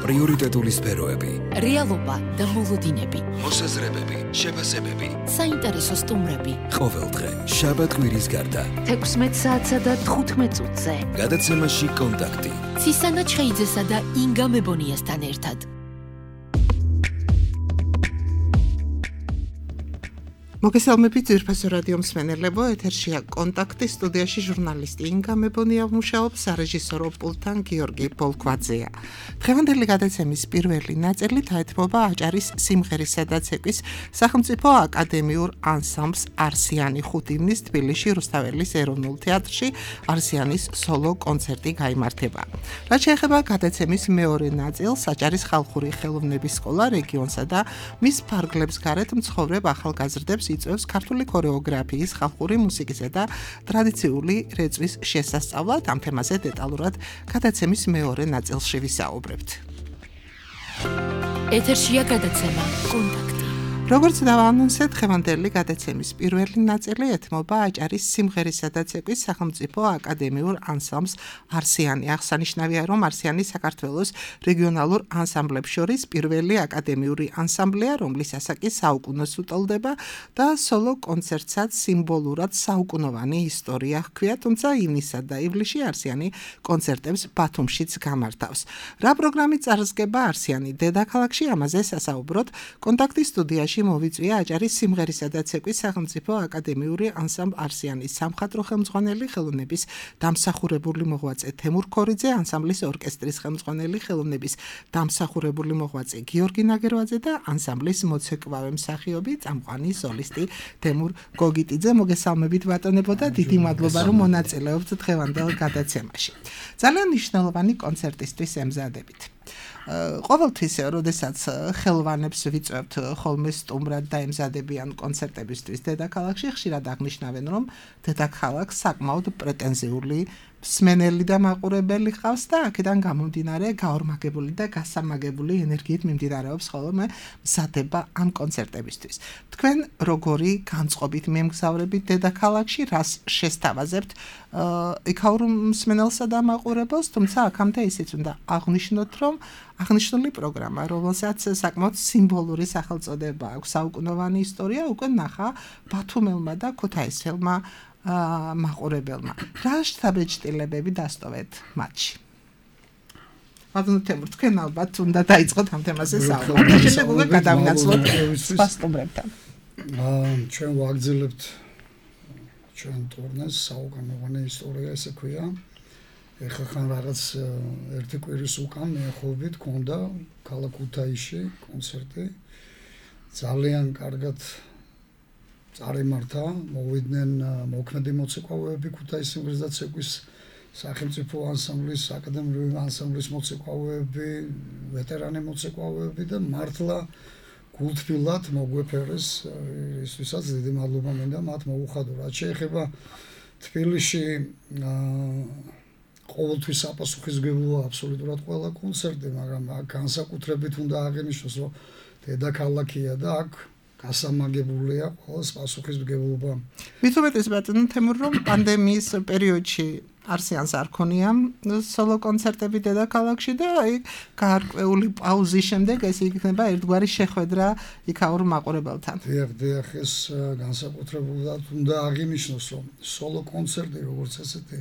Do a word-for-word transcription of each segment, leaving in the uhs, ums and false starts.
პრიორიტეტული სფეროები, რეალობა და მოლოდინები, მოსაზრებები, შეფასებები, საინტერესო სტუმრები. ყოველდღე შაბათ-კვირის გარდა თექვსმეტ საათსა და თხუთმეტ წუთზე გადაცემაში კონტაქტი ცისანა ჩხეიძესა და ინგა მებონიასთან ერთად. მოგესალმებით ძვირფასო რადიო მსმენელებო, ეთერშია კონტაქტი, სტუდიაში ჟურნალისტი ინგა მებონია მუშაობს, სარეჟისორო პულტთან გიორგი პოლქვაძეა. დღევანდელი გადაცემის პირველი ნაწილი დაეთმობა აჭარის სიმღერისა და ცეკვის სახელმწიფო აკადემიურ ანსამბლს არსიანი ხუთივნის თბილისში რუსთაველის ეროვნულ თეატრში არსიანის სოლო კონცერტი გაიმართება. რაც შეეხება გადაცემის მეორე ნაწილს, აჭარის ხალხური ხელოვნების სკოლა რეგიონსა და მის ფარგლებს გარეთ მცხოვრებ ახალგაზრდებს იწვევს ქართული ქორეოგრაფიის, ხალხური მუსიკისა და ტრადიციული რეწვის შესასწავლად. ამ თემაზე დეტალურად გადაცემის მეორე ნაწილში ვისაუბრებთ. ეთერშია გადაცემა კონტაქტი. როგორც დავაანონსეთ, დღევანდელი გადაცემის პირველი ნაწილი ეთმობა აჭარის სიმღერისა და ცეკვის სახელმწიფო აკადემიურ ანსამბლს არსიანი. აღსანიშნავია, რომ არსიანი საქართველოს რეგიონალურ ანსამბლებს შორის პირველი აკადემიური ანსამბლია, რომლის ასაკი საუკუნოს უტოლდება და სოლო კონცერტსაც სიმბოლურად საუკუნოვანი ისტორია ჰქვია, თუმცა ივნისსა და ივლისში არსიანი კონცერტებს ბათუმშიც გამართავს. რა პროგრამით წარსდგება არსიანი დედაქალაქში, ამაზე სასაუბროთ კონტაქტის სტუდიაში მოვიწვია აჭარის სიმღერისა და ცეკვის სახელმწიფო აკადემიური ანსამბლ არსიანის სამხატვრო ხელმძღვანელი, ხელოვნების დამსახურებული მოღვაწე თემურ ქორიძე, ანსამბლის ორკესტრის ხელმძღვანელი, ხელოვნების დამსახურებული მოღვაწე გიორგი ნაგერვაძე და ანსამბლის მოცეკვავე მსახიობი, წამყვანი სოლისტი თემურ გოგიტიძე. მოგესალმებით ბატონებო და დიდი მადლობა, რომ მონაწილეობთ დღევანდელ გადაცემაში. ძალიან მნიშვნელოვანი კონცერტისთვის ემზადებით. ყოველთვის, როდესაც ხელვანებს ვიწვევთ ხოლმე სტუმრად და ემზადებიან კონცერტებისთვის დედაქალაქში, ხშირად აღნიშნავენ, რომ დედაქალაქს საკმაოდ პრეტენზიული მსმენელი და მაყურებელი ყავს და აქედან გამომდინარე გაორმაგებული და გასამაგებული ენერგიით მიმდინარეობს ხოლმე მზადება ამ კონცერტებისთვის. თქვენ როგორი განწყობით მიემგზავრებით დედაქალაქში, რას შესთავაზებთ იქაურ მსმენელსა და მაყურებელს, თუმცა აქამდე ისიც უნდა აღნიშნოთ, რომ აღნიშნული პროგრამა, რომელსაც საკმაოდ სიმბოლური სახელწოდება აქვს, საუკუნოვანი ისტორია, უკვე ნახა ბათუმელმა და ქუთაისელმა მაყურებელმა. რა შთაბეჭდილებები დასტოვეთ მათში? ბატონო თემურ, თქვენ ალბათ უნდა დაიწყოთ ამ თემაზე საუბარი. შემდეგ უკვე გადავინაცვლოთ სხვა სტუმრებთან. ჩვენ ვაგრძელებთ ჩვენ ტურნეს საუკუნოვანი ისტორია, ესე ქვია. ეხლა ხან რაღაც ერთი კვირის უკან მეხოვით ქონდა ქალაქ ქუთაისში კონცერტი. ძალიან კარგად წარიმართა, მოვიდნენ მოქმედი მოცეკვავეები ქუთაისის სიმღერის და ცეკვის სახელმწიფო ანსამბლის, აკადემიური ანსამბლის მოცეკვავეები, ვეტერანი მოცეკვავეები და მართლა გულთბილად მოგვეფერეს, ისთვისაც დიდი მადლობა მინდა მათ მოუხადო. რაც შეეხება თბილისში ყოველთვის საპასუხისმგებლოა აბსოლუტურად ყველა კონცერტი, მაგრამ განსაკუთრებით უნდა აღინიშნოს, რომ დედაქალაქია და აქ გასამაგებულია ყოველს პასუხისმგებლობა. მით უმეტეს ბატონო თემურ, რომ პანდემიის პერიოდში არსიანს არ ქონია სოლო კონცერტები დედაქალაქში და აი გარკვეული პაუზის შემდეგ ეს იქნება ერთგვარი შეხვედრა იქაურ მაყურებელთან. დიახ, დიახ, ეს განსაკუთრებულად უნდა აღინიშნოს, რომ სოლო კონცერტი როგორც ესეთი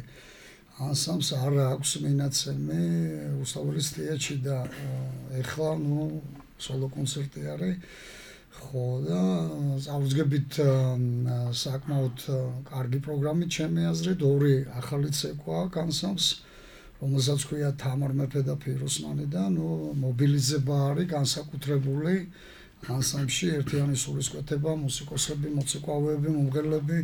ანსამბლს არ აქვს მინაცემი რუსთაველის თეატრში და ეხლა ნუ სოლო კონცერტი არის. ხო და წავუძგებით საკმაოდ კარგი პროგრამით ჩემი აზრით, ორი ახალი ცეკვა ანსამბლს, რომელსაც ქვია თამარ მეფე და ფიროსმანი და ნუ მობილიზება არის განსაკუთრებული ანსამბლში, ერთიანი სულისკვეთება, მუსიკოსები, მოცეკვავეები, მომღერლები.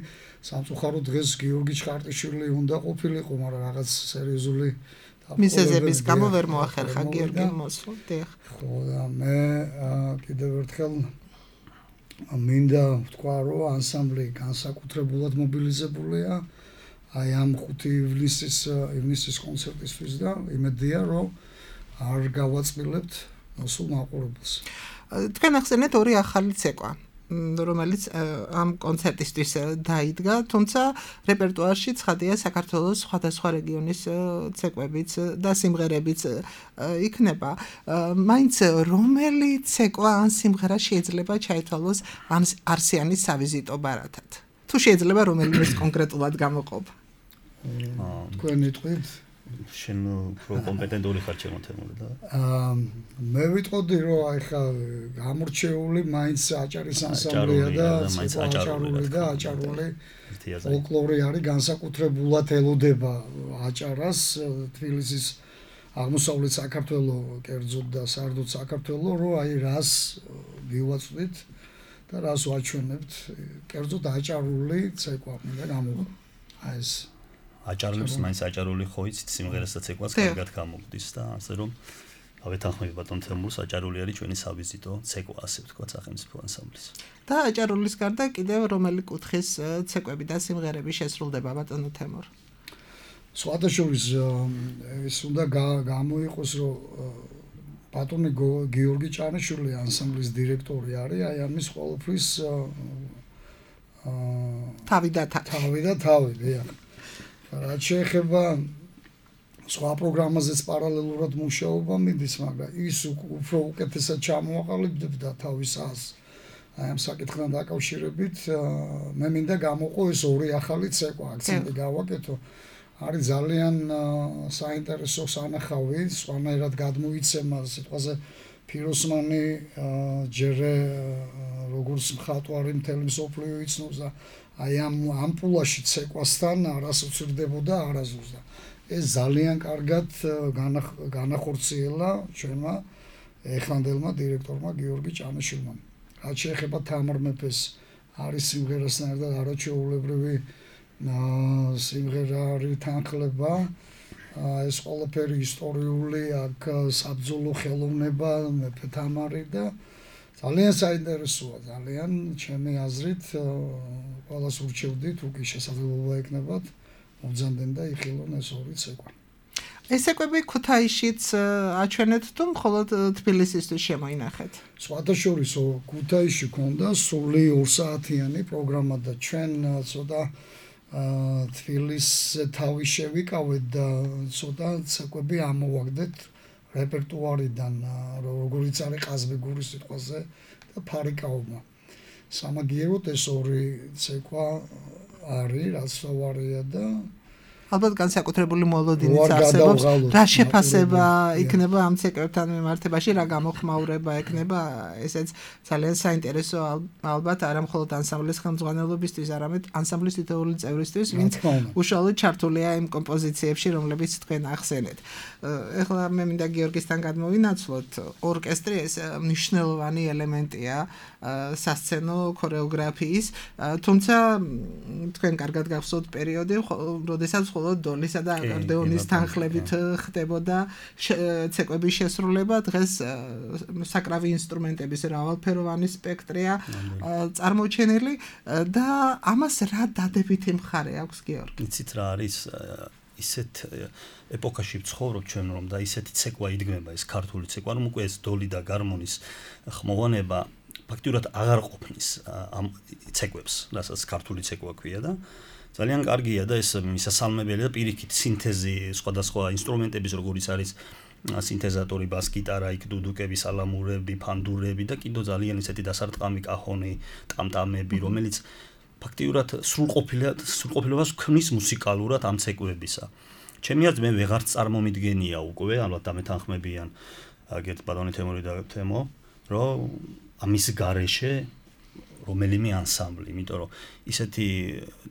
სამწუხაროდ დღეს გიორგი ჩხარტიშვილი უნდა ყოფილიყო, მაგრამ რაღაც სერიოზული მიზეზების გამო ვერ მოახერხა გიორგი მოსვლა. ხო და მე კიდევ ერთხელ მინდა ვთქვა, რომ ანსამბლი განსაკუთრებულად მობილიზებულია აი ამ ხუთი ივნისის ივნისის კონცერტისთვის და იმედია, რომ არ გავაწყვილებთ მოსულ მაყურებელს. თქვენ ახსენეთ ორი ახალი ცეკვა. რომელიც ამ კონცერტისთვის დაიდგა, თუმცა რეპერტუარში ცხადია საქართველოს სხვადასხვა რეგიონის ცეკვებიც და სიმღერებიც იქნება. მაინც რომელი ცეკვა ან სიმღერა შეიძლება ჩაითვალოს ამ არსიანის სავიზიტო ბარათად? თუ შეიძლება რომელიმე კონკრეტულად გამოყოფ. თქვენი თვით შენ უფრო კომპეტენტური ხარ ჩემო თემური და აა მე ვიტყოდი რომ აი ხა გამორჩეული მაინც აჭარის ანსამბლია და აჭარული და აჭარული ფოლკლორი არის განსაკუთრებულად ელოდება აჭარას თბილისის აღმოსავლეთ საქართველოს კერძოდ და სარდუც საქართველოს რომ აი რას ვივაწვდით და რას ვაჩვენებთ კერძოდ აჭარული ცეკვა მინდა გამოვ აი ეს აჭარლებს მაინც აჭარული ხო იცით სიმღერას და ცეკვას კარგად გამოგდის და ასე რომ ავეთანხმები ბატონ თემურს აჭარული არის ჩვენი სავიზიტო ცეკვა ასე ვთქვათ სახელმწიფო ანსამბლის და აჭარულის გარდა კიდევ რომელი კუთხის ცეკვები და სიმღერები შესრულდება ბატონო თემურ სხვადასხვის ეს უნდა გამოიყოს რომ ბატონი გიორგი ჭანიშვილი ანსამბლის დირექტორი არის აი ამის ყოველთვის თავი და თავი და თავი დიახ რაც შეეხება სხვა პროგრამაზეც პარალელურად მუშაობა მიდის, მაგრამ ის უფრო უკეთესად ჩამოაყალიბებდა თავის ას. აი ამ საკითხთან დაკავშირებით მე მინდა გამოყო ეს ორი ახალი ცეკვა, აქცენტი გავაკეთო. არის ძალიან საინტერესო სანახავი, სხვანაირად გადმოიცემა სიტყვაზე ფიროსმანი ჯერ როგორც მხატვარი მთელი მსოფლიო იცნობს და აი ამ ამპულაში ცეკვასთან არას უცირდებოდა არაზუსტ და ეს ძალიან კარგად განახორციელა ჩვენმა ეხანდელმა დირექტორმა გიორგი ჭანიშვილმა. რაც შეეხება თამარ მეფეს არის სიმღერასთან ერთად არაჩვეულებრივი სიმღერა არის თანხლება ეს ყველაფერი ისტორიული აქ საბრძოლო ხელოვნება მეფე თამარი და ძალიან საინტერესოა ძალიან ჩემი აზრით ყველას ურჩევდით უკი შესაძლებლობა ეკნებათ მოგზავნდნენ და იხილონ ეს ორი ცეკვა. ეს ცეკვები ქუთაისშიც აჩვენეთ თუ მხოლოდ თბილისისთვის შემოინახეთ? სხვადასხვა ქუთაისში ქონდა სული ორ საათიანი პროგრამა და ჩვენ ცოტა თბილისზე თავი შევიკავეთ და ცოტა ცეკვები ამოვაგდეთ რეპერტუარიდან როგორიც არის ყაზბეგურის სიტყვაზე და ფარიკაობა. სამაგიეროდ ეს ორი ცეკვა არის რაც ვარია და ალბათ განსაკუთრებული მოლოდინიც არსებობს. რა შეფასება იქნება ამ ცეკვებთან მიმართებაში, რა გამოხმაურება ექნება, ესეც ძალიან საინტერესო ალბათ არა მხოლოდ ანსამბლის ხელმძღვანელობისთვის, არამედ ანსამბლის თითოეული წევრისთვის, ვინც უშუალოდ ჩართულია იმ კომპოზიციებში, რომლებიც თქვენ ახსენეთ. ეხლა მე მინდა გიორგისთან გადმოვინაცვლოთ, ორკესტრი ეს მნიშვნელოვანი ელემენტია სასცენო ქორეოგრაფიის, თუმცა თქვენ კარგად გახსოვთ პერიოდი, როდესაც მხოლოდ დოლისა და აკორდეონის თანხლებით ხდებოდა ცეკვების შესრულება, დღეს საკრავი ინსტრუმენტების მრავალფეროვანი სპექტრია წარმოჩენილი და ამას რა დადებითი მხარე აქვს გიორგი? იცით რა არის ისეთ ეპოქაში ვცხოვრობ ჩვენ რომ და ისეთი ცეკვა იდგმება ეს ქართული ცეკვა რომ უკვე ეს დოლი და გარმონის ხმოვანება ფაქტურად აღარ ყოფნის ამ ცეკვებს, რასაც ქართული ცეკვა ქვია და ძალიან კარგია და ეს მისასალმებელია და პირიქით სინთეზი სხვადასხვა ინსტრუმენტების როგორიც არის სინთეზატორი, ბას გიტარა, იქ დუდუკები, სალამურები, ფანდურები და კიდო ძალიან ისეთი დასარტყამი კახონი, ტამტამები, რომელიც ფაქტიურად სრულყოფილად სრულყოფილობას ქმნის მუსიკალურად ამ ცეკვებისა. ჩემი აზრით მე ვეღარ წარმომიდგენია უკვე, ალბათ დამეთანხმებიან აგეთ ბატონი თემური და თემო, რომ ამის გარეშე რომელიმე ანსამბლი, იმიტომ რომ ისეთი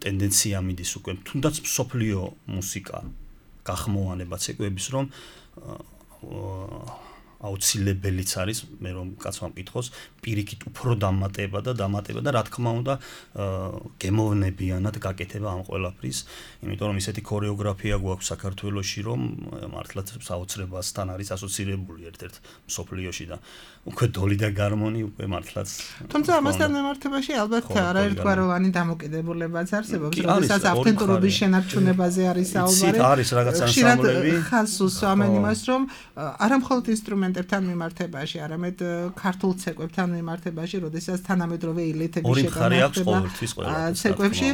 ტენდენცია მიდის უკვე თუნდაც მსოფლიო მუსიკა გახმოვანება ცეკვების რომ აუცილებელიც არის მე რომ კაცმა მკითხოს პირიქით უფრო დამატება და დამატება და რა თქმა უნდა გემოვნებიანად გაკეთება ამ ყველაფრის იმიტომ რომ ისეთი ქორეოგრაფია გვაქვს საქართველოში რომ მართლაც საოცრებასთან არის ასოცირებული ერთ-ერთ მსოფლიოში და უკვე დოლი და გარმონი უკვე მართლაც თუმცა ამასთან მიმართებაში ალბათ არაერთგვაროვანი დამოკიდებულებაც არსებობს როდესაც ავთენტურობის შენარჩუნებაზე არის საუბარი არის რაღაც ანსამბლები ხალხს უსვამენ იმას რომ არა მხოლოდ ინსტრუმენტ ინსტრუმენტებთან მიმართებაში, არამედ ქართულ ცეკვებთან მიმართებაში, როდესაც თანამედროვე ილეთები ორი მხარე აქვს ყოველთვის ყველაფერს. ცეკვებში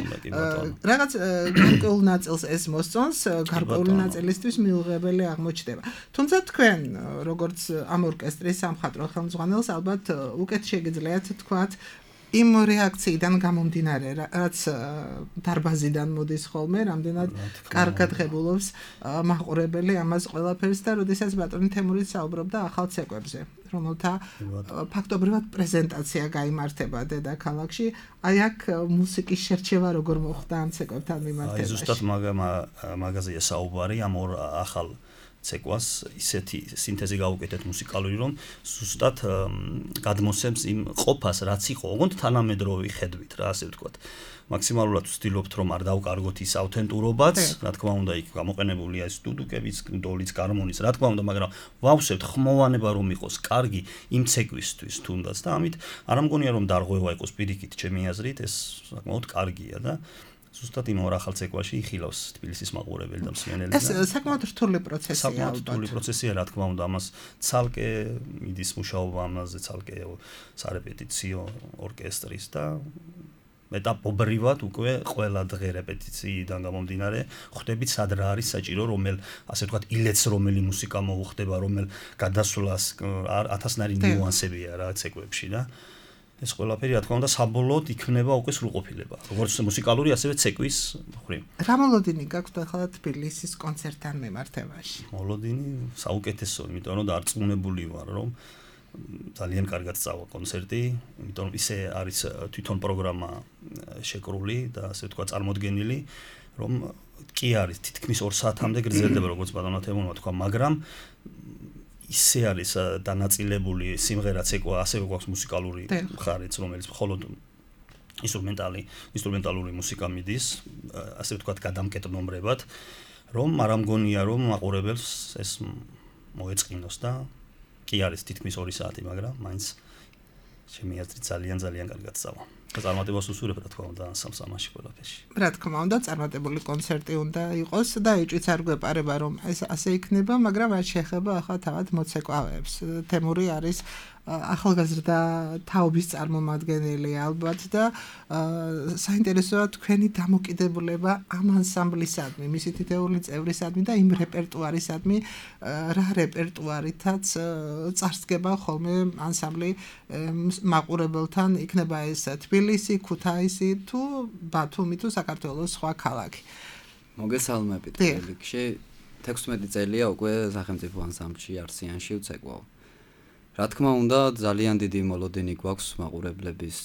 რაღაც გარკვეულ ნაწილს ეს მოსწონს, გარკვეული ნაწილისთვის მიუღებელი აღმოჩნდება. თუმცა თქვენ, როგორც ამ ორკესტრის სამხატვრო ხელმძღვანელს, ალბათ უკეთ შეგიძლიათ თქვათ იმ რეაქციიდან გამომდინარე, რაც დარბაზიდან მოდის ხოლმე, რამდენად კარგად ღებულობს მაყურებელი ამას ყველაფერს და როდესაც ბატონი თემურიც საუბრობდა ახალ ცეკვებზე, რომელთა ფაქტობრივად პრეზენტაცია გაიმართება დედაქალაქში, აი აქ მუსიკის შერჩევა როგორ მოხდა ამ ცეკვებთან მიმართებაში. აი ზუსტად მაგაზია საუბარი ამ ორ ახალ ცეკვას ისეთი სინთეზი გავუკეთეთ მუსიკალური, რომ ზუსტად გადმოსცემს იმ ყოფას, რაც იყო, ოღონდ თანამედროვე ხედვით, რა ასე ვთქვათ. მაქსიმალურად ვცდილობთ, რომ არ დავკარგოთ ის აუთენტურობაც, რა თქმა უნდა, იქ გამოყენებულია ეს დუდუკებიც, დოლიც, გარმონის, რა თქმა უნდა, მაგრამ ვავსებთ ხმოვანება რომ იყოს კარგი იმ ცეკვისთვის თუნდაც და ამით არ მგონია რომ დარღვევა იყოს პირიქით ჩემი აზრით, ეს საკმაოდ კარგია და ზუსტად იმ ორ ახალ ცეკვაში იხილავს თბილისის მაყურებელი და მსმენელი. ეს საკმაოდ რთული პროცესია. საკმაოდ რთული პროცესია, რა თქმა უნდა, ამას ცალკე მიდის მუშაობა ამაზე, ცალკე სარეპეტიციო ორკესტრის და მეტაპობრივად უკვე ყველა დღე რეპეტიციიდან გამომდინარე ხვდებით სად რა არის საჭირო, რომელ ასე ვთქვათ ილეთს რომელი მუსიკა მოუხდება, რომელ გადასვლას ათასნაირი ნიუანსებია რა ცეკვებში და ეს ყველაფერი რა თქმა უნდა საბოლოოდ იქნება უკვე სრულყოფილება. როგორც მუსიკალური, ასევე ცეკვის მხრივ. რა მოლოდინი გაქვთ ახლა თბილისის კონცერტთან მიმართებაში? მოლოდინი საუკეთესო, იმიტომ რომ დარწმუნებული ვარ, რომ ძალიან კარგად წავა კონცერტი, იმიტომ რომ ისე არის თვითონ პროგრამა შეკრული და ასე ვთქვათ წარმოდგენილი, რომ კი არის თითქმის ორ საათამდე გრძელდება, როგორც ბატონმა თემურმა თქვა, მაგრამ ისე არის დანაწილებული სიმღერა ცეკვა, ასევე გვაქვს მუსიკალური მხარეც, რომელიც მხოლოდ ინსტრუმენტალი, ინსტრუმენტალური მუსიკა მიდის, ასე ვთქვათ, გადამკეტნომრებად, რომ არ ამგონია, რომ მაყურებელს ეს მოეწყინოს და კი არის თითქმის ორი საათი, მაგრამ მაინც ჩემი აზრით ძალიან ძალიან კარგად წავა. და წარმატებას უსურვებ, რა თქმა უნდა, ანსამბლს ამაში ყველაფერში. რა თქმა უნდა, წარმატებული კონცერტი უნდა იყოს და ეჭვიც არ გვეპარება, რომ ეს ასე იქნება, მაგრამ არ შეეხება ახლა თავად მოცეკვავეებს. თემური არის ახალგაზრდა თაობის წარმომადგენელი ალბათ და საინტერესოა თქვენი დამოკიდებულება ამ ანსამბლისადმი, მისი თითეული წევრისადმი და იმ რეპერტუარისადმი, რა რეპერტუარითაც წარსდგება ხოლმე ანსამბლი მაყურებელთან, იქნება ეს თბილისი, ქუთაისი თუ ბათუმი თუ საქართველოს სხვა ქალაქი. მოგესალმებით რიგში თექვსმეტი წელია უკვე სახელმწიფო ანსამბლში არსიანში ვცეკვავ. რა თქმა უნდა, ძალიან დიდი მოლოდინი გვაქვს მაყურებლების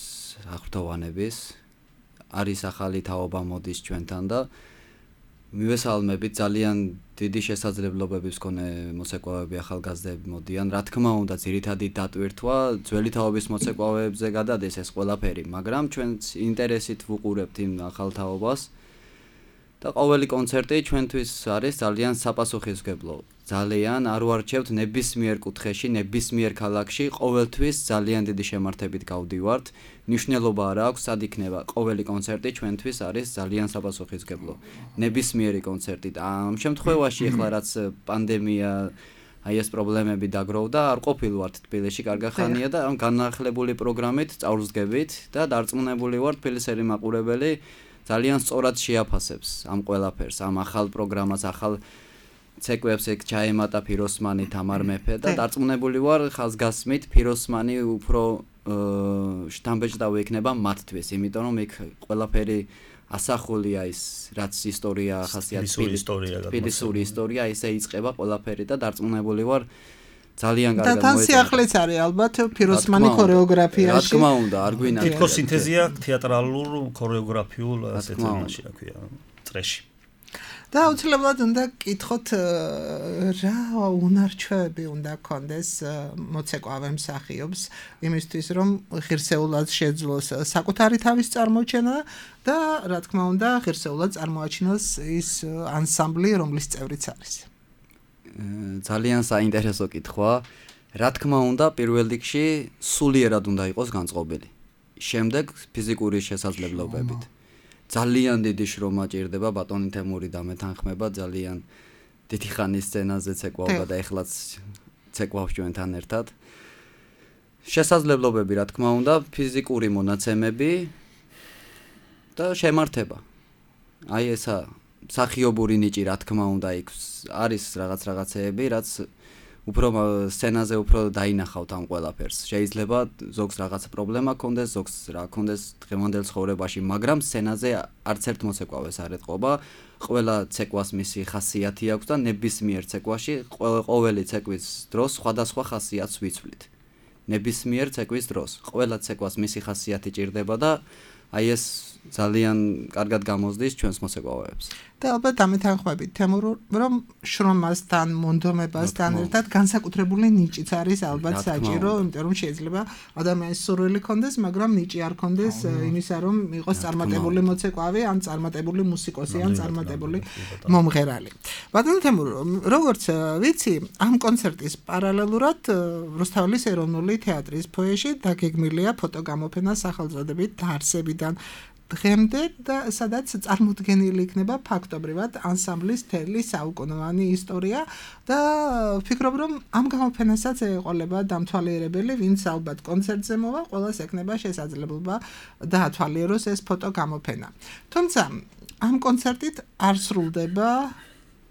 აღფრთოვანების. არის ახალი თაობა მოდის ჩვენთან და მივესალმებით, ძალიან დიდი შესაძლებლობების მქონე მოცეკვავები ახალგაზრდები მოდიან. რა თქმა უნდა, ძირითადი დატვირთვა ძველი თაობის მოცეკვავებზე გადადეს ეს ყველაფერი, მაგრამ ჩვენც ინტერესით ვუყურებთ იმ ახალ თაობას. და ყოველი კონცერტი ჩვენთვის არის ძალიან საპასუხისმგებლო. ძალიან არ ვარჩევთ ნებისმიერ კუთხეში, ნებისმიერ ქალაქში, ყოველთვის ძალიან დიდი შემართებით გავდივართ. მნიშვნელობა არ აქვს, სად იქნება ყოველი კონცერტი ჩვენთვის არის ძალიან საპასუხისმგებლო. ნებისმიერი კონცერტი და ამ შემთხვევაში ახლა რაც პანდემია აი ეს პრობლემები დაგროვდა, არ ყოფილვართ თბილისში კარგი ხანია და ამ განახლებული პროგრამით წავსდგებით და დარწმუნებული ვარ თბილისელი მაყურებელი ძალიან სწორად შეაფასებს ამ ყველაფერს, ამ ახალ პროგრამას, ახალ ცეკვებს ეგ ჩაემატა ფიროსმანი, თამარ მეფე და დარწმუნებული ვარ ხაზგასმით ფიროსმანი უფრო შთამბეჭდავი იქნება მათთვის, იმიტომ რომ იქ ყველაფერი ასახულია ის რაც ისტორია ახასიათებს თბილისური ისტორია, ისე იწყება ყველაფერი და დარწმუნებული ვარ ძალიან კარგად მოეწონა. და თან სიახლეც არის ალბათ ფიროსმანი ქორეოგრაფიაში. რა თქმა უნდა, არ გვინახავს. თითქოს სინთეზია თეატრალურ ქორეოგრაფიულ ასეთ თემაში, რა ქვია, წრეში. და აუცილებლად უნდა გკითხოთ რა უნარჩვევები უნდა გქონდეს მოცეკვავე მსახიობს იმისთვის რომ ღირსეულად შეძლოს საკუთარი თავის წარმოჩენა და რა თქმა უნდა ღირსეულად წარმოაჩინოს ის ანსამბლი რომლის წევრიც არის. ძალიან საინტერესო კითხვა. რა თქმა უნდა პირველ რიგში სულიერად უნდა იყოს განწყობილი. შემდეგ ფიზიკური შესაძლებლობებით. ძალიან დიდი შრომა ჭირდება ბატონი თემური და მე თანხმება ძალიან დიდი ხანის სცენაზე ცეკვავდა და ეხლაც ცეკვავს ჩვენთან ერთად. შესაძლებლობები, რა თქმა უნდა, ფიზიკური მონაცემები და შემართება. აი ესა სახიობური ნიჭი, რა თქმა უნდა, იქ არის რაღაც რაღაცეები, რაც უფრო სცენაზე უფრო დაინახავთ ამ ყველაფერს. შეიძლება ზოგს რაღაც პრობლემა ქონდეს, ზოგს რა ქონდეს დღევანდელ ცხოვრებაში, მაგრამ სცენაზე არც ერთ მოცეკვავეს არ ეტყობა. ყველა ცეკვას მისი ხასიათი აქვს და ნებისმიერ ცეკვაში ყოველი ცეკვის დროს სხვადასხვა ხასიათს ვიცვლით. ნებისმიერ ცეკვის დროს ყველა ცეკვას მისი ხასიათი ჭირდება და აი ეს ძალიან კარგად გამოსდის ჩვენს მოცეკვავეებს. და ალბათ ამეთანხმებით თემურ, რომ შრომასთან, მონდომებასთან ერთად განსაკუთრებული ნიჭიც არის ალბათ საჭირო, იმიტომ რომ შეიძლება ადამიანის სურვილი ქონდეს, მაგრამ ნიჭი არ ქონდეს იმისა, რომ იყოს წარმატებული მოცეკვავი, ან წარმატებული მუსიკოსი, ან წარმატებული მომღერალი. ბატონო თემურ, როგორც ვიცი, ამ კონცერტის პარალელურად რუსთაველის ეროვნული თეატრის ფოიეში დაგეგმილია ფოტოგამოფენა სახელწოდებით დაარსებიდან დღემდე და სადაც წარმოდგენილი იქნება ფაქტობრივად ანსამბლის მთელი საუკუნოვანი ისტორია და ვფიქრობ რომ ამ გამოფენასაც ეყოლება დამთვალიერებელი, ვინც ალბათ კონცერტზე მოვა, ყველას ექნება შესაძლებლობა დაათვალიეროს ეს ფოტოგამოფენა. თუმცა ამ კონცერტით არ სრულდება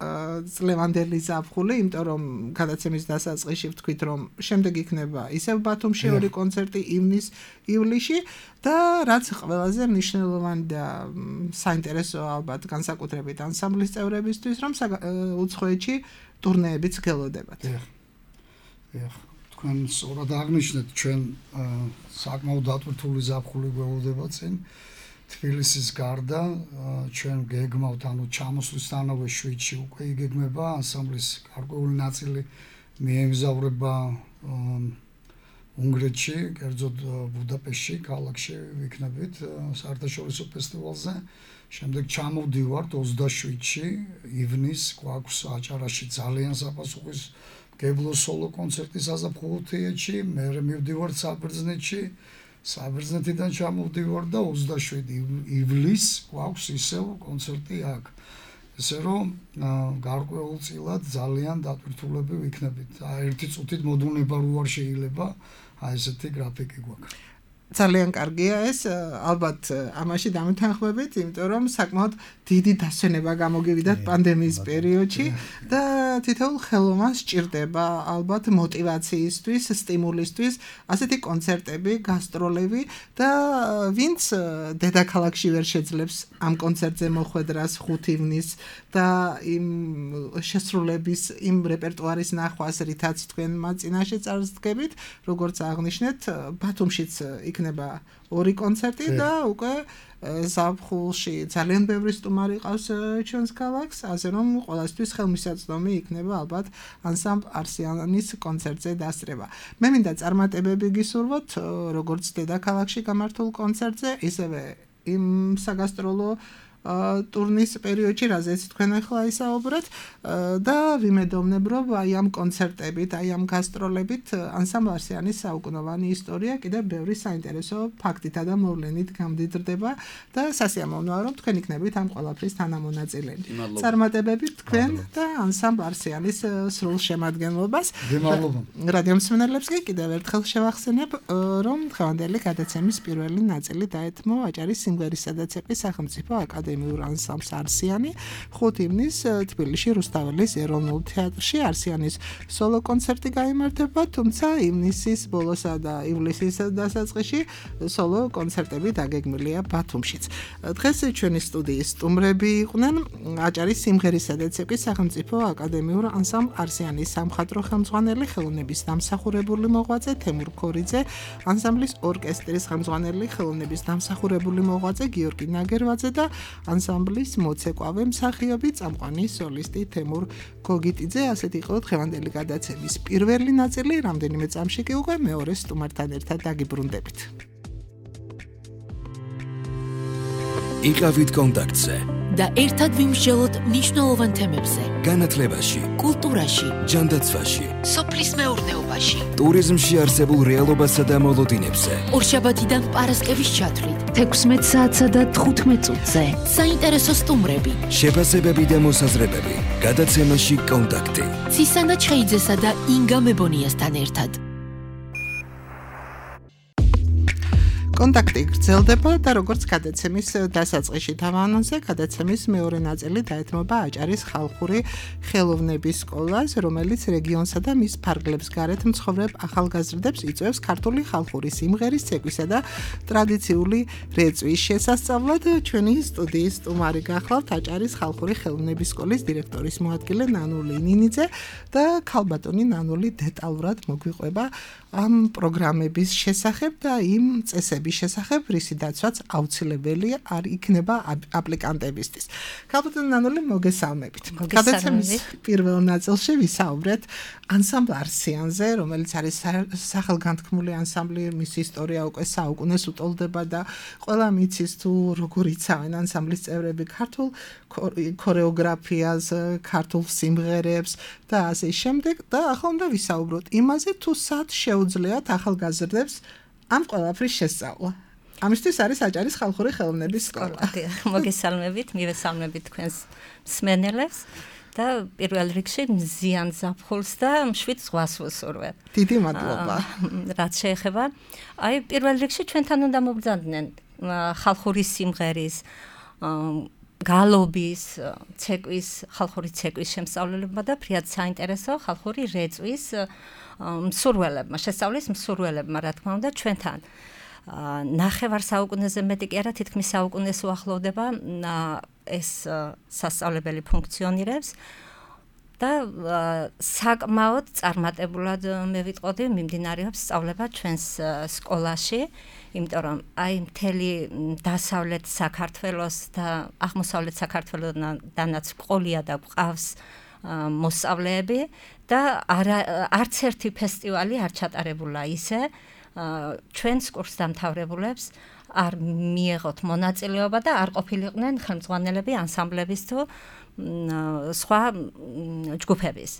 წლევანდელი ზაფხული, იმიტომ რომ გადაცემის დასაწყისში ვთქვით, რომ შემდეგ იქნება ისევ ბათუმში ორი კონცერტი ივნის-ივლისში და რაც ყველაზე მნიშვნელოვანი და საინტერესო ალბათ განსაკუთრებით ანსამბლის წევრებისთვის, რომ უცხოეთში ტურნეებიც გელოდებათ. დიახ. დიახ. თქვენ სწორად აღნიშნეთ, ჩვენ საკმაოდ დატვირთული ზაფხული გველოდება წინ. თბილისის გარდა ჩვენ გეგმავთ, ანუ ჩამოსვლისთანავე შვიდში უკვე იგეგმება ანსამბლის გარკვეული ნაწილი მიემგზავრება უნგრეთში, კერძოდ ბუდაპეშტში, ქალაქში ვიქნებით საერთაშორისო ფესტივალზე. შემდეგ ჩამოვდივართ ოცდაშვიდში ივნის გვაქვს აჭარაში ძალიან საპასუხისმგებლო სოლო კონცერტი საზაფხულო თეატრში, მერე მივდივართ საბერძნეთში. საბერძნეთიდან ჩამოვდივარ და ოცდაშვიდი ივლისს გვაქვს ისევ კონცერტი აქ. ესე რომ გარკვეულწილად ძალიან დატვირთულები ვიქნებით. ერთი წუთით მოდუნება რო არ შეიძლება, აი ესეთი გრაფიკი გვაქვს. ძალიან კარგია ეს, ალბათ ამაში დამეთანხმებით, იმიტომ რომ საკმაოდ დიდი დასვენება გამოგივიდათ პანდემიის პერიოდში და თითოეულ ხელოვნებას სჭირდება ალბათ мотиваციისთვის, სტიმულისთვის, ასეთი კონცერტები, გასტროლები და ვინც დედაქალაქში ვერ შეძლებს ამ კონცერტზე მოხვედრას ხუთ ივნის და იმ შესრულების, იმ რეპერტუარის ნახვას, რითაც თქვენ მაწინაშე წარსდგებით, როგორც აღნიშნეთ, ბათუმშიც იქნება ორი კონცერტი და უკვე ზაფხულში ძალიან ბევრი სტუმარი ყავს ჩვენს ქალაქს, ასე რომ ყველასთვის ხელმისაწვდომი იქნება ალბათ ანსამბლ არსიანის კონცერტზე დასწრება. მე მინდა წარმატებები გისურვოთ, როგორც დედაქალაქში გამართულ კონცერტზე, ისევე იმ საგასტროლო ტურნის პერიოდში, რაზეც თქვენ ახლა ისაუბრეთ და ვიმედოვნებ, რომ აი ამ კონცერტებით, აი ამ გასტროლებით ანსამბლ არსიანის საუკუნოვანი ისტორია კიდევ ბევრი საინტერესო ფაქტითა და მოვლენით გამდიდრდება და სასიამოვნოა, რომ თქვენ იქნებით ამ ყველაფრის თანამონაწილეები. წარმატებები თქვენ და ანსამბლ არსიანის სრულ შემადგენლობას. რადიო მსმენელებს კი კიდევ ერთხელ შევახსენებ, რომ დღევანდელი გადაცემის პირველი ნაწილი დაეთმო აჭარის სიმღერისა და ცეკვის სახელმწიფო აკადემიურ ანსამბლს არსიანი ხუთ ივნის თბილისში რუსთაველის ეროვნულ თეატრში არსიანის სოლო კონცერტი გაიმართება, თუმცა ივნისის ბოლოსა და ივლისის დასაწყისში სოლო კონცერტები დაგეგმილია ბათუმშიც. დღეს ჩვენი სტუდიის სტუმრები იყვნენ აჭარის სიმღერისა და ცეკვის სახელმწიფო აკადემიურ ანსამბლ არსიანის სამხატვრო ხელმძღვანელი, ხელოვნების დამსახურებული მოღვაწე თემურ ქორიძე, ანსამბლის ორკესტრის ხელმძღვანელი, ხელოვნების დამსახურებული მოღვაწე გიორგი ნაგერვაძე და ანსამბლის მოცეკვავე მსახიობი წამყვანი სოლისტი თემურ გოგიტიძე. ასეთი იყო დღევანდელი გადაცემის პირველი ნაწილი, რამდენიმე წამში კი უკვე მეორე სტუმართან ერთად დაგიბრუნდებით. იყავით კონტაქტზე და ერთად ვიმსჯელოთ მნიშვნელოვან თემებზე. განათლებაში, კულტურაში, ჯანდაცვაში, სოფლის მეურნეობაში, ტურიზმში არსებულ რეალობასა და მოლოდინებზე. ორშაბათიდან პარასკევის ჩათვლით, თექვსმეტ საათსა და თხუთმეტ წუთზე. საინტერესო სტუმრები, შეფასებები და მოსაზრებები. გადაცემაში კონტაქტი. ცისანა ჩხეიძესა და ინგა მებონიასთან ერთად. კონტაქტი გრძელდება და როგორც გადაცემის დასაწყისში დავანონსე, გადაცემის მეორე ნაწილი დაეთმობა აჭარის ხალხური ხელოვნების სკოლას, რომელიც რეგიონსა და მის ფარგლებს გარეთ მცხოვრებ ახალგაზრდებს იწვევს ქართული ხალხური სიმღერის, ცეკვისა და ტრადიციული რეწვის შესასწავლად. ჩვენი სტუდიის სტუმარი გახლავთ აჭარის ხალხური ხელოვნების სკოლის დირექტორის მოადგილე ნანული ნინიძე და ქალბატონი ნანული დეტალურად მოგვიყვება ამ პროგრამების შესახებ და იმ წესების შესახებ, რისი დაცვაც აუცილებელია არ იქნება აპლიკანტებისთვის. ქალბატონი ნანული, მოგესალმებით. გადაცემის პირველ ნაწილში ვისაუბრეთ ანსამბლ არსიანზე, რომელიც არის სახელგანთქმული ანსამბლი, მის ისტორია უკვე საუკუნეს უტოლდება და ყველა მიცის თუ როგორ იცავენ ანსამბლის წევრები ქართულ ქორეოგრაფიას, ქართულ სიმღერებს და ასე შემდეგ და ახლა უნდა ვისაუბროთ იმაზე, თუ სად შეუძლიათ ახალგაზრდებს ამ ყველაფრის შესწავლა. ამისთვის არის აჭარის ხალხური ხელოვნების სკოლა. მოგესალმებით, მივესალმებით თქვენს მსმენელებს და პირველ რიგში მზიან ზაფხულს და მშვიდ ზღვას ვუსურვებ. დიდი მადლობა. რაც შეეხება, აი პირველ რიგში ჩვენთან უნდა მობრძანდნენ ხალხური სიმღერის, გალობის, ცეკვის, ხალხური ცეკვის შემსწავლელებმა და ფრიად საინტერესო ხალხური რეწვის მსურველებმა, შესწავლის მსურველებმა, რა თქმა უნდა, ჩვენთან. ნახევარ საუკუნეზე მეტი კი არა, თითქმის საუკუნეს უახლოვდება ეს სასწავლებელი ფუნქციონირებს და საკმაოდ წარმატებულად მე ვიტყოდი მიმდინარეობს სწავლება ჩვენს სკოლაში, იმიტომ რომ აი მთელი დასავლეთ საქართველოს და აღმოსავლეთ საქართველოდანაც ყოლია და ყავს მოსწავლეები და არც ერთი ფესტივალი არ ჩატარებულა ისე ჩვენს კურსდამთავრებულებს არ მიეღოთ მონაწილეობა და არ ყოფილიყვნენ ხელმძღვანელები ანსამბლების თუ სხვა ჯგუფების.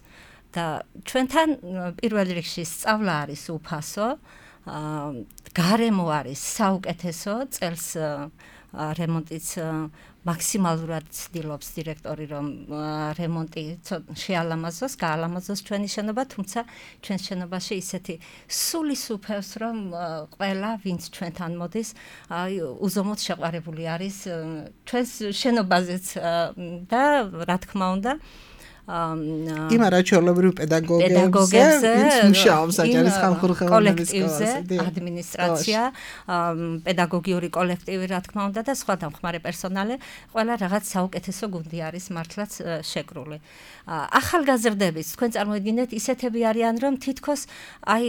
და ჩვენთან პირველ რიგში სწავლა არის უფასო, გარემო არის საუკეთესო, წელს რემონტიც მაქსიმალურად ცდილობს დირექტორი, რომ რემონტი შეალამაზოს, გაალამაზოს ჩვენი შენობა, თუმცა ჩვენს შენობაში ისეთი სული სუფევს, რომ ყველა, ვინც ჩვენთან მოდის, უზომოდ შეყვარებული არის ჩვენს შენობაზეც და რა თქმა უნდა, იმ არაჩვეულებრივ პედაგოგებზე, ვინც მუშაობს აჭარის ხალხური ხელოვნების სკოლაზე, ადმინისტრაცია, პედაგოგიური კოლექტივი, რა თქმა უნდა და სხვა დამხმარე პერსონალი, ყველა რაღაც საუკეთესო გუნდი არის მართლაც შეკრული. ახალგაზრდების, თქვენ წარმოიდგინეთ, ისეთები არიან, რომ თითქოს აი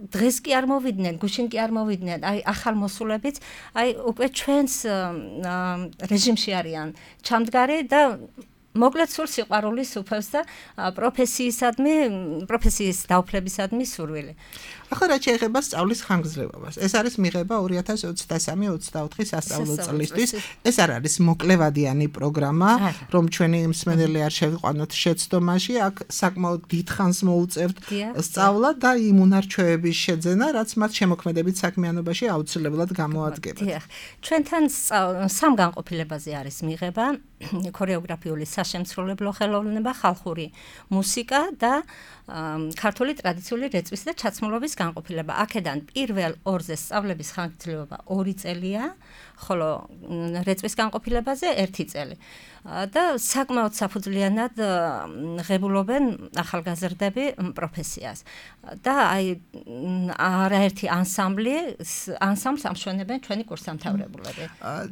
დღეს კი არ მოვიდნენ, გუშინ კი არ მოვიდნენ, აი ახალ მოსულებიც, აი უკვე ჩვენს რეჟიმში არიან ჩამდგარი და მოკლედ სულ სიყვარული სუფევს და პროფესიისადმი, პროფესიის დაუფლებისადმი სურვილი. ახლა რაც შეეხება სწავლის ხანგრძლივობას, ეს არის მიღება ორი ათას ოცდასამი ოცდაოთხი სასწავლო წლისთვის. ეს არ არის მოკლევადიანი პროგრამა, რომ ჩვენი მსმენელი არ შევიყვანოთ შეცდომაში, აქ საკმაოდ დიდ ხანს მოუწევთ სწავლა და იმ უნარჩვევების შეძენა, რაც მათ შემოქმედებით საქმიანობაში აუცილებლად გამოადგებათ. ჩვენთან სამ განყოფილებაზე არის მიღება ქორეოგრაფიული საშემსრულებლო ხელოვნება, ხალხური მუსიკა და ქართული ტრადიციული რეწვის და ჩაცმულობის განყოფილება. აქედან პირველ ორზე სწავლების ხანგრძლივობა ორი წელია, ხოლო რეწვის განყოფილებაზე ერთი წელი. და საკმაოდ საფუძვლიანად ღებულობენ ახალგაზრდები პროფესიას. და აი არაერთი ანსამბლი ანსამბლს ამშვენებენ ჩვენი კურსდამთავრებულები.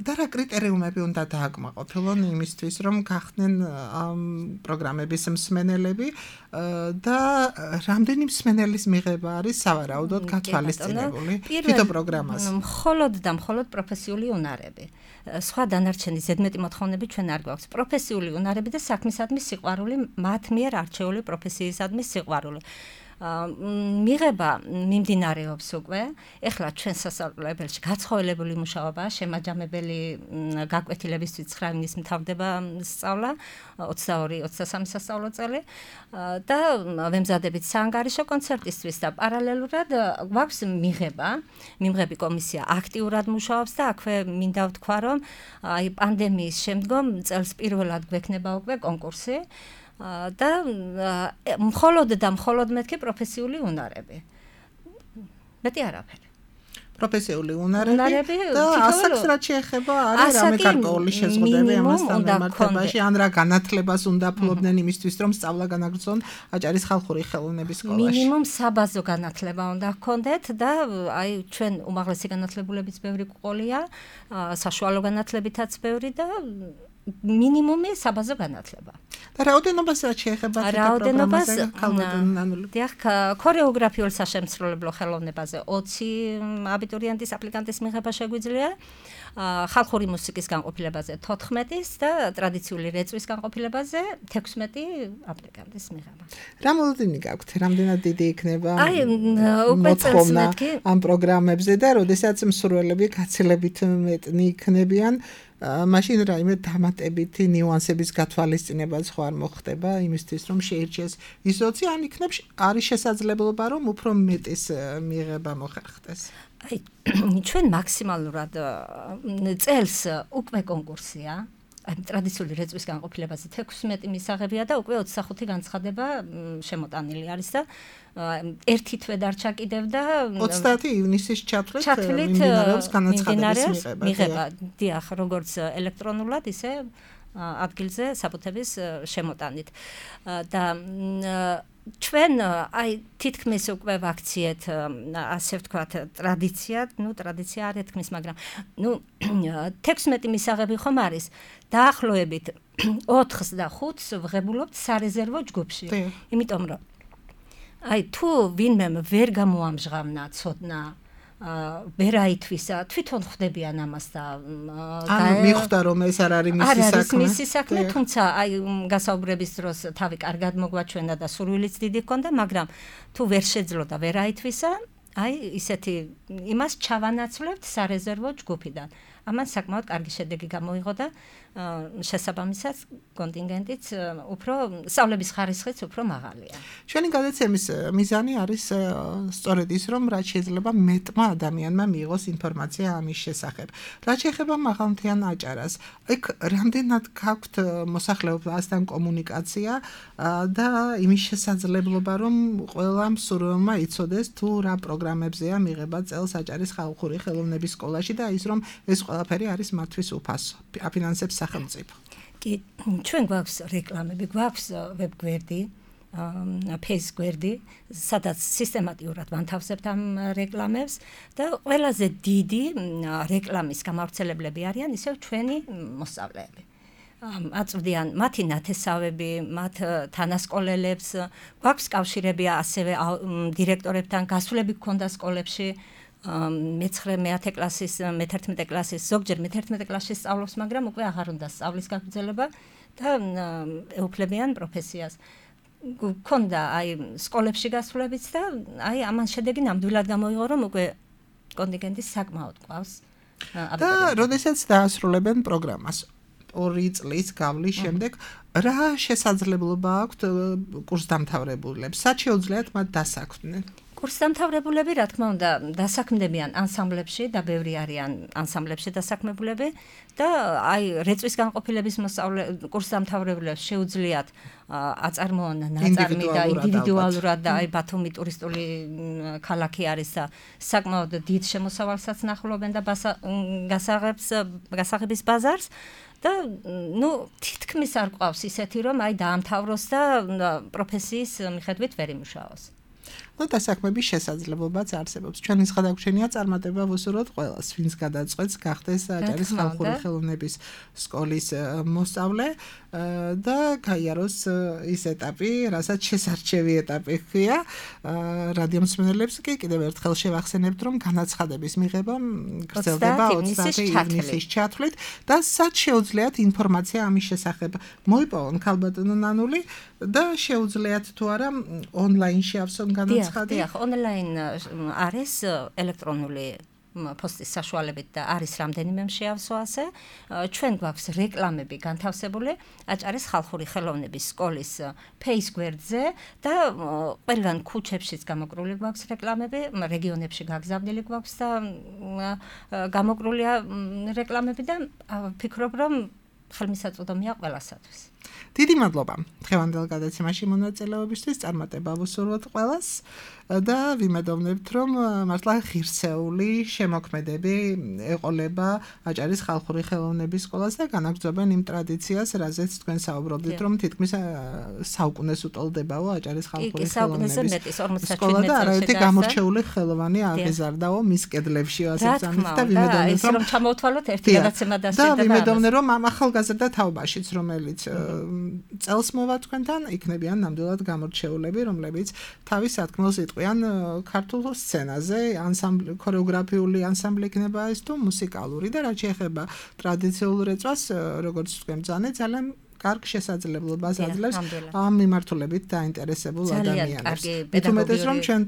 და რა კრიტერიუმები უნდა დააკმაყოფილონ იმისთვის, რომ გახდნენ ამ პროგრამების მსმენელები და რამდენი მსმენელის მიღება არის სავარაუდოდ გათვალისწინებული თვითონ პროგრამას? მხოლოდ და მხოლოდ პროფესიული უნარები. სხვა დანარჩენი ზედმეტი მოთხოვნები ჩვენ არ გვაქვს. პროფესიული უნარები და საქმისადმი სიყვარული, მათ მიერ არჩეული პროფესიისადმი სიყვარული. მიღება მიმდინარეობს უკვე. ეხლა ჩვენ სასწავლებელში გაცხოველებული მუშაობა, შემაჯამებელი გაკვეთილებისთვის ცხრა ივნის მთავრდება სწავლა, ოცდაორი ოცდასამი სასწავლო წელი და ვემზადებით საანგარიშო კონცერტისთვის და პარალელურად გვაქვს მიღება, მიმღები კომისია აქტიურად მუშაობს და აქვე მინდა ვთქვა, რომ აი პანდემიის შემდგომ წელს პირველად გვექნება უკვე კონკურსი და მხოლოდ და მხოლოდ მეთქი პროფესიული უნარები. მეტი არაფერი. პროფესიული უნარები და ასაკს რაც შეეხება არის რამე გარკვეული შეზღუდვები ამასთან მიმართებაში ან რა განათლებას უნდა ფლობდნენ იმისთვის რომ სწავლა განაგრძონ აჭარის ხალხური ხელოვნების სკოლაში. მინიმუმ საბაზო განათლება უნდა ჰქონდეთ და აი ჩვენ უმაღლესი განათლებულების ბევრი ყოლია, საშუალო განათლებითაც ბევრი და მინიმუმი საბაზო განათლება. და რაოდენობას რაც შეეხება რაოდენობას დიახ, ქორეოგრაფიულ საშემსრულებლო ხელოვნებაზე ოცი აბიტურიენტის აპლიკანტის მიღება შეგვიძლია, ხალხური მუსიკის განყოფილებაზე თოთხმეტის და ტრადიციული რეწვის განყოფილებაზე თექვსმეტი აპლიკანტის მიღება. რა მოლოდინი გაქვთ? რამდენად დიდი იქნება აი უკვე წელს მეთქი ამ პროგრამებზე და როდესაც მსურველები გაცილებით მეტნი იქნებიან მაშინ რაიმე დამატებითი ნიუანსების გათვალისწინებაც ხო არ მოხდება იმისთვის რომ შეირჩეს ისოცი ან იქნებ არის შესაძლებლობა რომ უფრო მეტის მიღება მოხერხდეს. აი ჩვენ მაქსიმალურად წელს უკვე კონკურსია აი ტრადიციული რეწვის განყოფილებაზე თექვსმეტი მისაღებია და უკვე ოცდახუთი განცხადება შემოტანილი არის და ერთი თვე დარჩა კიდევ და ოცდაათი ივნისის ჩათვლით მიმდინარეობს განაცხადების მიღება. დიახ, როგორც ელექტრონულად, ისე ადგილზე საბუთების შემოტანით. და ჩვენ აი თითქმის უკვე ვაქციეთ ასე ვთქვათ ტრადიციად, ну ტრადიცია არ ეთქმის, მაგრამ ну თექვსმეტი მისაღები ხომ არის დაახლოებით ოთხს და ხუთს ვღებულობთ სარეზერვო ჯგუფში. იმიტომ რომ აი თუ ვინმე ვერ გამოამჟღავნა ცოდნა ვერ აითვისა, თვითონ ხვდებიან ამას და ანუ მიხვდა რომ ეს არ არის მისი საქმე. არის მისი საქმე, თუმცა აი გასაუბრების დროს თავი კარგად მოგვაჩვენა და სურვილიც დიდი ჰქონდა, მაგრამ თუ ვერ შეძლო და ვერ აითვისა, აი ისეთი იმას ჩავანაცვლებთ სარეზერვო ჯგუფიდან. ამან საკმაოდ კარგი შედეგი გამოიღო და შესაბამისად კონტინგენტიც უფრო სწავლების ხარისხიც უფრო მაღალია. ჩვენი გადაცემის მიზანი არის სწორედ ის რომ რაც შეიძლება მეტმა ადამიანმა მიიღოს ინფორმაცია ამის შესახებ. რაც შეეხება მაღალმთიან აჭარას, იქ რამდენად გაქვთ მოსახლეობასთან კომუნიკაცია და იმის შესაძლებლობა რომ ყველა მსურველმა იცოდეს თუ რა პროგრამებზეა მიღება წელს აჭარის ხალხური ხელოვნების სკოლაში და ის რომ ეს ყველაფერი არის მათთვის უფასო. აფინანსებს სახელმწიფო. კი, ჩვენ გვაქვს რეკლამები, გვაქვს ვებგვერდი, ფეის გვერდი, სადაც სისტემატიურად ვანთავსებთ ამ რეკლამებს და ყველაზე დიდი რეკლამის გამავრცელებლები არიან ისევ ჩვენი მოსწავლეები. აწვდიან მათი ნათესავები, მათ თანასკოლელებს, გვაქვს კავშირები ასევე დირექტორებთან, გასვლები გქონდა სკოლებში. მეცხრე მეათე კლასის, მეთერთმეტე კლასის, ზოგჯერ მეთერთმეტე კლასში სწავლობს, მაგრამ უკვე აღარ უნდა სწავლის გაგრძელება და ეუფლებიან პროფესიას. გქონდა აი სკოლებში გასვლებიც და აი ამან შედეგი ნამდვილად გამოიღო, რომ უკვე კონტინგენტის საკმაოდ ყავს. და როდესაც დაასრულებენ პროგრამას ორი წლის გავლის შემდეგ რა შესაძლებლობა აქვთ კურსდამთავრებულებს? სად შეუძლიათ მათ დასაქმდნენ? კურსდამთავრებულები, რა თქმა უნდა, დასაქმდებიან ანსამბლებში და ბევრი არიან ანსამბლებში დასაქმებულები და აი რეწვის განყოფილების მოსწავლე კურსდამთავრებულებს შეუძლიათ აწარმოონ ნაწარმი და ინდივიდუალურად და აი ბათუმი ტურისტული ქალაქი არის და საკმაოდ დიდ შემოსავალსაც ნახულობენ და გასაღებს გასაღების ბაზარს და ნუ თითქმის არ ყავს ისეთი რომ აი დაამთავროს და პროფესიის მიხედვით ვერ იმუშაოს. და დასაქმების შესაძლებლობაც არსებობს. ჩვენი სხდაგჩენია წარმატება ვუსურვოთ ყველას, ვინც გადაწყვეტს გახდეს აჭარის ხალხური ხელოვნების სკოლის მოსწავლე და გაიაროს ის ეტაპი, რასაც შესარჩევი ეტაპი ხია. რადიო მსმენელებს კი კიდევ ერთხელ შევახსენებთ, რომ განაცხადების მიღება გრძელდება ოცდაათი ივნისის ჩათვლით და სად შეუძლიათ ინფორმაცია ამის შესახებ მოიპოვონ ქალბატონო ნანული და შეუძლიათ თუ არა ონლაინში ავსონ განაცხადი? დიახ, ონლაინ არის ელექტრონული პოსტის საშუალებით და არის რამდენიმე შეავსო ასე. ჩვენ გვაქვს რეკლამები განთავსებული აჭარის ხალხური ხელოვნების სკოლის Facebook გვერდზე და ყველგან ქუჩებშიც გამოკრული გვაქვს რეკლამები, რეგიონებში გაგზავნილი გვაქვს და გამოკრულია რეკლამები და ვფიქრობ, რომ ხელმისაწვდომია ყველასათვის. დიდი მადლობა დღევანდელ გადაცემაში მონაწილეობისთვის, წარმატება ვუსურვოთ ყველას და ვიმედოვნებთ, რომ მართლა ღირსეული შემოქმედები ეყოლება აჭარის ხალხური ხელოვნების სკოლას და განაგრძობენ იმ ტრადიციას, რაზეც თქვენ საუბრობდით, რომ თითქმის საუკუნეს უტოლდებაო აჭარის ხალხური ხელოვნების სკოლა და არაერთი გამორჩეული ხელოვანი აღიზარდაო მის კედლებში, ასე ვწამით და ვიმედოვნებთ, რომ ჩამოვთვალოთ ერთი გადაცემა დასჭირდება. და ვიმედოვნებ, რომ ამ ახალგაზრდა თაობაშიც, რომელიც წელს მოვა თქვენთან, იქნებიან ნამდვილად გამორჩეულები, რომლებიც თავის სათქმელს იტყვიან ქართულ სცენაზე, ანსამბლი, ქორეოგრაფიული ანსამბლი იქნება ეს თუ მუსიკალური და რაც შეეხება ტრადიციულ რეწვას, როგორც თქვენ ბრძანეთ, ძალიან კარგ შესაძლებლობას აძლევს ამ მიმართულებით დაინტერესებულ ადამიანებს. მithumetes რომ ჩვენ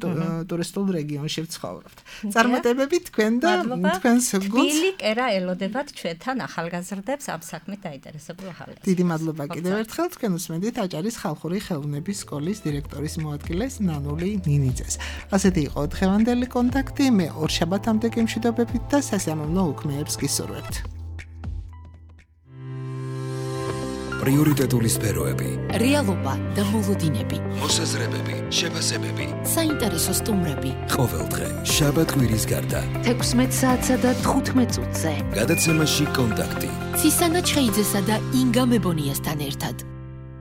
ტურისტულ რეგიონში ვცხოვრობთ. წარმატებები თქვენ და თქვენს გულს. ბილი კერა ელოდებათ ჩვენთან ახალგაზრდებს ამ საქმით დაინტერესებულ ახალგაზრდებს. დიდი მადლობა კიდევ ერთხელ თქვენ უსმენთ აჭარის ხალხური ხელოვნების სკოლის დირექტორის მოადგილეს ნანული ნინიძეს. ასეთი იყო დღევანდელი კონტაქტი. მე ორშაბათამდე გემშვიდობებით და სასიამოვნო უქმეებს გისურვებთ. პრიორიტეტული სფეროები, რეალობა და მოლოდინები, მოსაზრებები, შეფასებები, საინტერესო სტუმრები. ყოველდღე შაბათ-კვირის გარდა თექვსმეტ საათსა და თხუთმეტ წუთზე გადაცემაში კონტაქტი. ცისანა ჩხეიძესა და ინგა მებონიასთან ერთად.